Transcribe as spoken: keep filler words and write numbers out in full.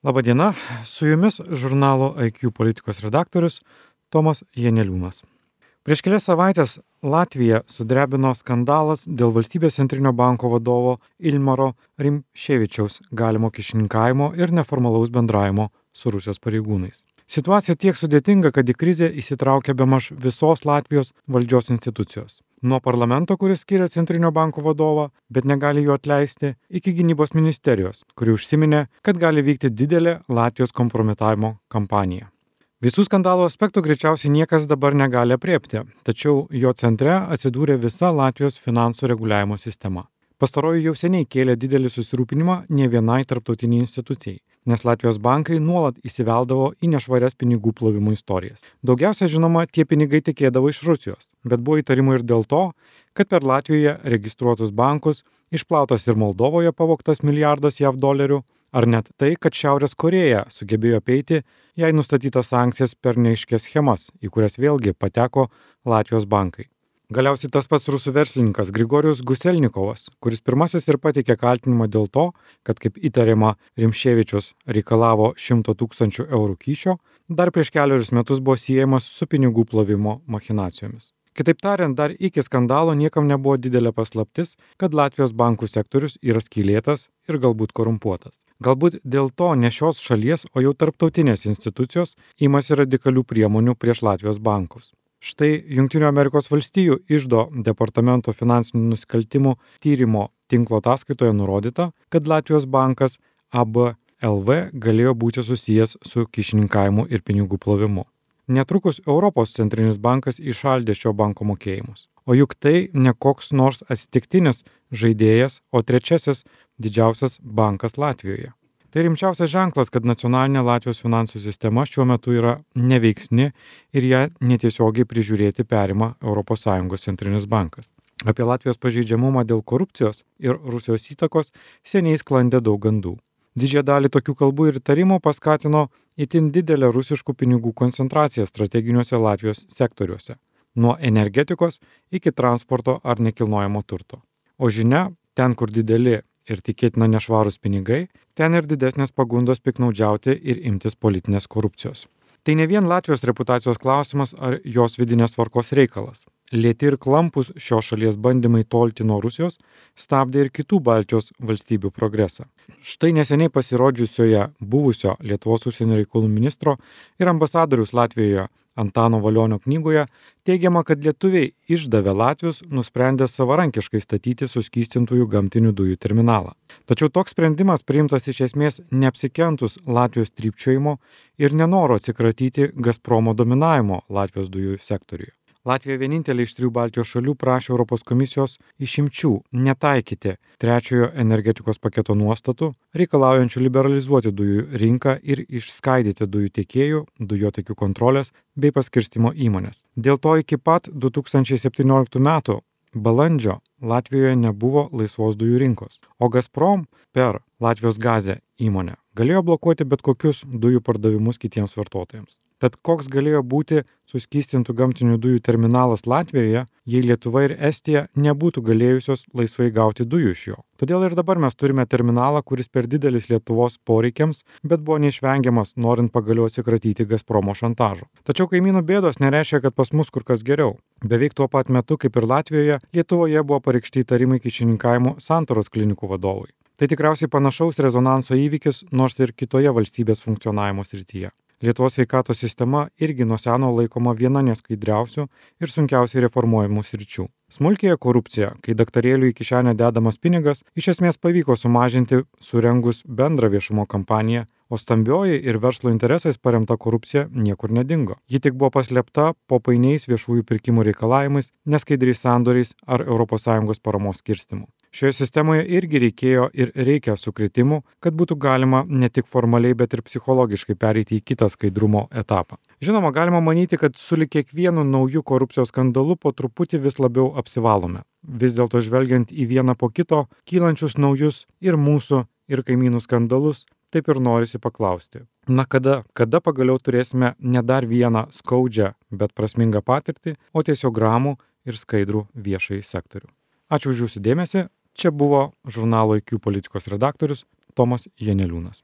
Labadiena, su jumis žurnalo I Q politikos redaktorius Tomas Janeliūnas. Prieš kelias savaitės Latviją sudrebino skandalas dėl valstybės centrinio banko vadovo Ilmaro Rimšėvičiaus galimo kyšininkavimo ir neformalaus bendravimo su Rusijos pareigūnais. Situacija tiek sudėtinga, kad į krizę įsitraukia bemaž visos Latvijos valdžios institucijos. Nuo parlamento, kuris skiria centrinio banko vadovą, bet negali jo atleisti, iki gynybos ministerijos, kuri užsiminė, kad gali vykti didelė Latvijos kompromitavimo kampanija. Visų skandalo aspektų greičiausiai niekas dabar negali apriepti, tačiau jo centre atsidūrė visa Latvijos finansų reguliavimo sistema. Pastaroji jau seniai kėlė didelį susirūpinimą ne vienai tarptautiniai institucijai, nes Latvijos bankai nuolat įsiveldavo į nešvarias pinigų plovimo istorijas. Daugiausia žinoma, tie pinigai tekėdavo iš Rusijos, bet buvo įtarimų ir dėl to, kad per Latvijoje registruotus bankus išplautas ir Moldovoje pavogtas milijardas jav dolerių, ar net tai, kad Šiaurės Korėja sugebėjo apeiti jai nustatytas sankcijas per neaiškias schemas, į kurias vėlgi pateko Latvijos bankai. Galiausiai tas pats rusų verslininkas Grigorijus Guselnikovas, kuris pirmasis ir pateikė kaltinimą dėl to, kad kaip įtariama Rimšėvičius reikalavo šimto tūkstančių eurų kyšio, dar prieš keliarius metus buvo siejamas su pinigų plovimo machinacijomis. Kitaip tariant, dar iki skandalo niekam nebuvo didelė paslaptis, kad Latvijos bankų sektorius yra skylėtas ir galbūt korumpuotas. Galbūt dėl to ne šios šalies, o jau tarptautinės institucijos imasi radikalių priemonių prieš Latvijos bankus. Štai Jungtinių Amerikos valstijų iždo departamento finansinių nusikaltimų tyrimo tinklo ataskaitoje nurodyta, kad Latvijos bankas A B L V galėjo būti susijęs su kyšininkavimu ir pinigų plovimu. Netrukus Europos centrinis bankas įšaldė šio banko mokėjimus. O juk tai ne koks nors atsitiktinis žaidėjas, o trečiasis didžiausias bankas Latvijoje. Tai rimčiausias ženklas, kad nacionalinė Latvijos finansų sistema šiuo metu yra neveiksni ir ją netiesiogiai prižiūrėti perima Europos Sąjungos centrinis bankas. Apie Latvijos pažeidžiamumą dėl korupcijos ir Rusijos įtakos seniai sklandė daug gandų. Didžiąją dalį tokių kalbų ir įtarimų paskatino itin didelę rusiškų pinigų koncentraciją strateginiuose Latvijos sektoriuose, nuo energetikos iki transporto ar nekilnojamo turto. O žinia, ten, kur dideli ir tikėtina nešvarūs pinigai, ten ir didesnės pagundos piknaudžiauti ir imtis politinės korupcijos. Tai ne vien Latvijos reputacijos klausimas ar jos vidinės tvarkos reikalas. Lėti ir klampus šios šalies bandymai tolti nuo Rusijos stabdė ir kitų Baltijos valstybių progresą. Štai neseniai pasirodžiusioje buvusio Lietuvos užsienio reikalų ministro ir ambasadoriaus Latvijoje Antano Valionio knygoje teigiama, kad lietuviai išdavę latvius nusprendė savarankiškai statyti suskystintųjų gamtinių dujų terminalą. Tačiau toks sprendimas priimtas iš esmės neapsikentus Latvijos trypčiojimo ir nenoro atsikratyti Gazpromo dominavimo Latvijos dujų sektoriuje. Latvija vienintelė iš trijų Baltijos šalių prašė Europos komisijos išimčių netaikyti trečiojo energetikos paketo nuostatų, reikalaujančių liberalizuoti dujų rinką ir išskaidyti dujų tiekėjų, dujotiekių kontrolės bei paskirstymo įmonės. Dėl to iki pat du tūkstančiai septynioliktų metų balandžio Latvijoje nebuvo laisvos dujų rinkos, o Gazprom per Latvijos gazę įmonę galėjo blokuoti bet kokius dujų pardavimus kitiems vartotojams. Tad koks galėjo būti suskystintų gamtinių dujų terminalas Latvijoje, jei Lietuva ir Estija nebūtų galėjusios laisvai gauti dujų iš jo. Todėl ir dabar mes turime terminalą, kuris per didelis Lietuvos poreikiams, bet buvo neišvengiamas, norint pagaliau atsikratyti Gazpromo šantažo. Tačiau kaimynų bėdos nereiškia, kad pas mus kur kas geriau. Beveik tuo pat metu, kaip ir Latvijoje, Lietuvoje buvo pareikšti įtarimai kyšininkavimu Santaros klinikų vadovui. Tai tikriausiai panašaus rezonanso įvykis, nors ir kitoje valstybės funkcionavimo srityje. Lietuvos sveikatos sistema irgi nuo seno laikoma viena neskaidriausių ir sunkiausiai reformuojamų sričių. Smulkėja korupcija, kai daktarėlių į kišenę dedamas pinigas, iš esmės pavyko sumažinti surengus bendrą viešumo kampaniją, o stambioji ir verslo interesais paremta korupcija niekur nedingo. Ji tik buvo paslėpta po painiais viešųjų pirkimų reikalavimais, neskaidriais sandoriais ar Europos Sąjungos paramos skirstimu. Šioje sistemoje irgi reikėjo ir reikia sukritimų, kad būtų galima ne tik formaliai, bet ir psichologiškai pereiti į kitą skaidrumo etapą. Žinoma, galima manyti, kad sulig kiekvienu nauju korupcijos skandalu po truputį vis labiau apsivalome. Vis dėlto žvelgiant į vieną po kito, kylančius naujus ir mūsų, ir kaimynų skandalus, taip ir norisi paklausti. Na kada, kada pagaliau turėsime ne dar vieną skaudžią, bet prasmingą patirtį, o tiesiog ramų ir skaidrų viešąjį sektorių. Ačiū už jūsų dėmesį. Čia buvo žurnalo I Q politikos redaktorius Tomas Janeliūnas.